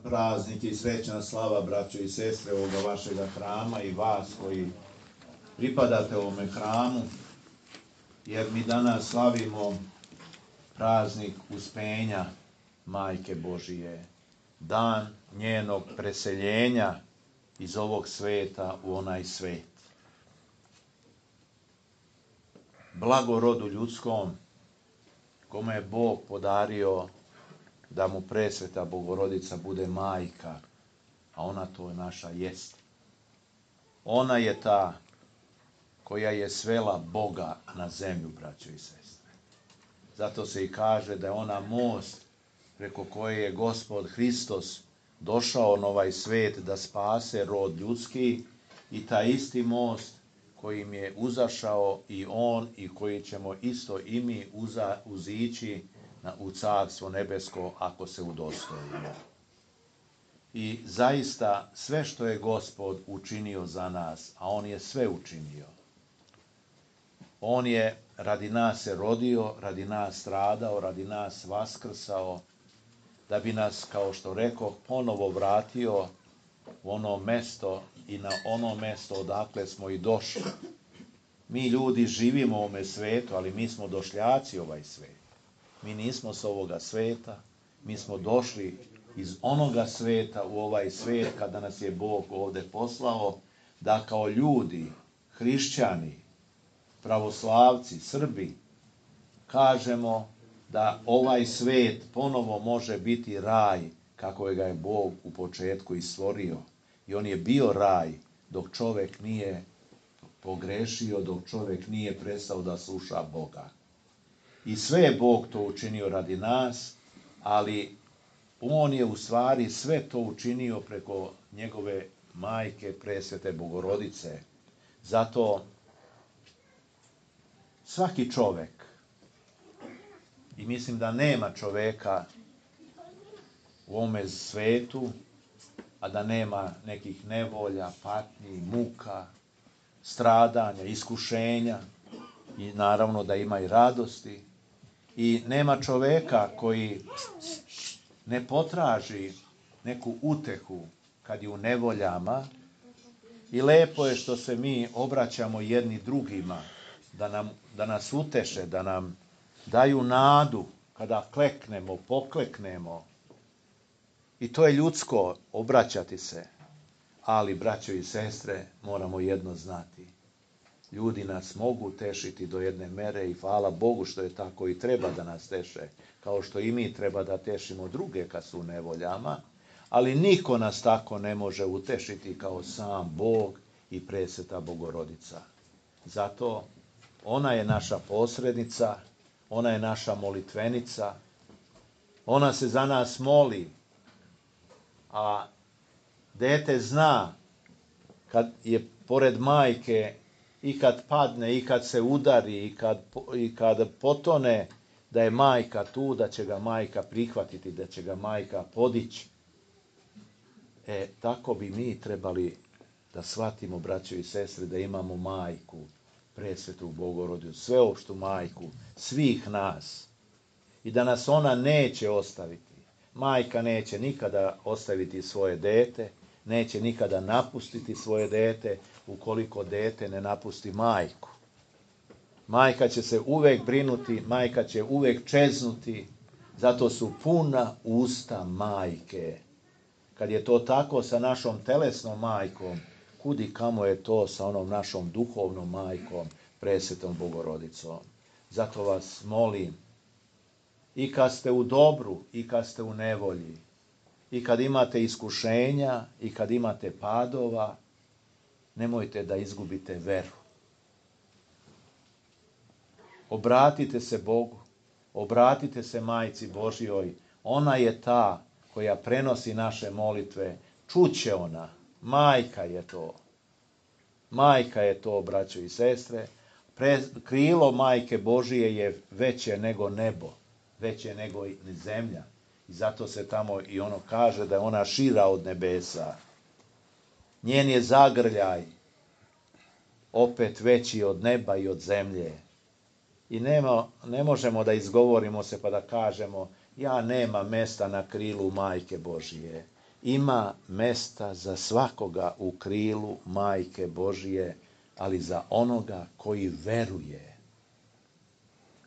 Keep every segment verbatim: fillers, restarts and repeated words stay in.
praznik i srećna slava, braćo i sestre, ovoga vašega hrama i vas koji pripadate ovome hramu, jer mi danas slavimo praznik uspenja Majke Božije, dan njenog preseljenja iz ovog sveta u onaj svet. Blago rodu ljudskom, kome je Bog podario da mu presveta Bogorodica bude majka, a ona to naša jest. Ona je ta koja je svela Boga na zemlju, braćo i sestre. Zato se i kaže da je ona most preko koje je Gospod Hristos došao na ovaj svet da spase rod ljudski, i taj isti most kojim je uzašao i on i koji ćemo isto i mi uza, uzići na, u Carstvo nebesko ako se udostojimo. I zaista sve što je Gospod učinio za nas, a on je sve učinio. On je radi nas se rodio, radi nas stradao, radi nas vaskrsao, da bi nas, kao što rekoh, ponovo vratio u ono mesto i na ono mesto odakle smo i došli. Mi ljudi živimo u ovome svetu, ali mi smo došljaci ovaj svet. Mi nismo s ovoga sveta, mi smo došli iz onoga sveta u ovaj svet kada nas je Bog ovde poslao, da kao ljudi, hrišćani, pravoslavci, Srbi, kažemo da ovaj svet ponovo može biti raj kako ga je Bog u početku i stvorio. I on je bio raj dok čovek nije pogrešio, dok čovek nije prestao da sluša Boga. I sve je Bog to učinio radi nas, ali on je u stvari sve to učinio preko njegove majke, presvete Bogorodice. Zato svaki čovek, i mislim da nema čoveka u ovome svetu, a da nema nekih nevolja, patnji, muka, stradanja, iskušenja, i naravno da ima i radosti. I nema čoveka koji ne potraži neku utehu kad je u nevoljama, i lepo je što se mi obraćamo jedni drugima, da, nam, da nas uteše, da nam daju nadu kada kleknemo, pokleknemo. I to je ljudsko, obraćati se. Ali, braćo i sestre, moramo jedno znati. Ljudi nas mogu tešiti do jedne mere i hvala Bogu što je tako i treba da nas teše, kao što i mi treba da tešimo druge kad su u nevoljama, ali niko nas tako ne može utešiti kao sam Bog i presveta Bogorodica. Zato ona je naša posrednica, ona je naša molitvenica, ona se za nas moli, a dete zna kad je pored majke i kad padne, i kad se udari, i kad, i kad potone, da je majka tu, da će ga majka prihvatiti, da će ga majka podići. E, tako bi mi trebali da shvatimo, braćo i sestre, da imamo majku, presvetu Bogorodicu, sveopštu majku svih nas, i da nas ona neće ostaviti. Majka neće nikada ostaviti svoje dete, neće nikada napustiti svoje dete ukoliko dete ne napusti majku. Majka će se uvek brinuti, majka će uvek čeznuti, zato su puna usta majke. Kad je to tako sa našom telesnom majkom, kudi kamo je to sa onom našom duhovnom majkom, presvetom Bogorodicom. Zato vas molim, i kad ste u dobru, i kad ste u nevolji, i kad imate iskušenja, i kad imate padova, nemojte da izgubite veru. Obratite se Bogu, obratite se Majci Božjoj, ona je ta koja prenosi naše molitve, čuće ona, majka je to. Majka je to, braćo i sestre, Pre, krilo Majke Božije je veće nego nebo, veće nego i zemlja. I zato se tamo i ono kaže da je ona šira od nebesa. Njen je zagrljaj opet veći od neba i od zemlje. I nema, ne možemo da izgovorimo se pa da kažemo ja nema mesta na krilu Majke Božije. ima mesta za svakoga u krilu Majke Božije, ali za onoga koji veruje,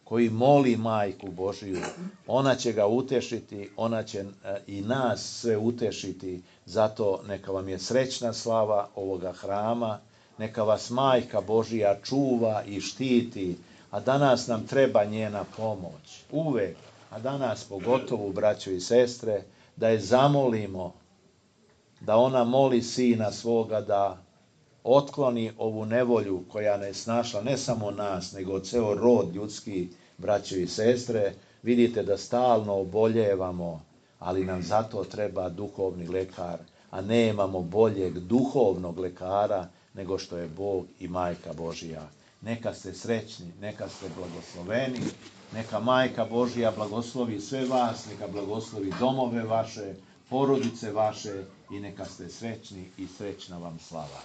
koji moli Majku Božiju. Ona će ga utešiti, ona će i nas sve utešiti. Zato neka vam je srećna slava ovoga hrama, neka vas Majka Božija čuva i štiti, a danas nam treba njena pomoć. Uvek, a danas pogotovo, braćo i sestre, da je zamolimo, da ona moli Sina svoga da otkloni ovu nevolju koja ne snašla ne samo nas, nego ceo rod ljudski, braćo i sestre. Vidite da stalno oboljevamo, ali nam zato treba duhovni lekar, a nemamo boljeg duhovnog lekara nego što je Bog i Majka Božija. Neka ste srećni, neka ste blagosloveni, neka Majka Božija blagoslovi sve vas, neka blagoslovi domove vaše, porodice vaše i neka ste srećni i srećna vam slava.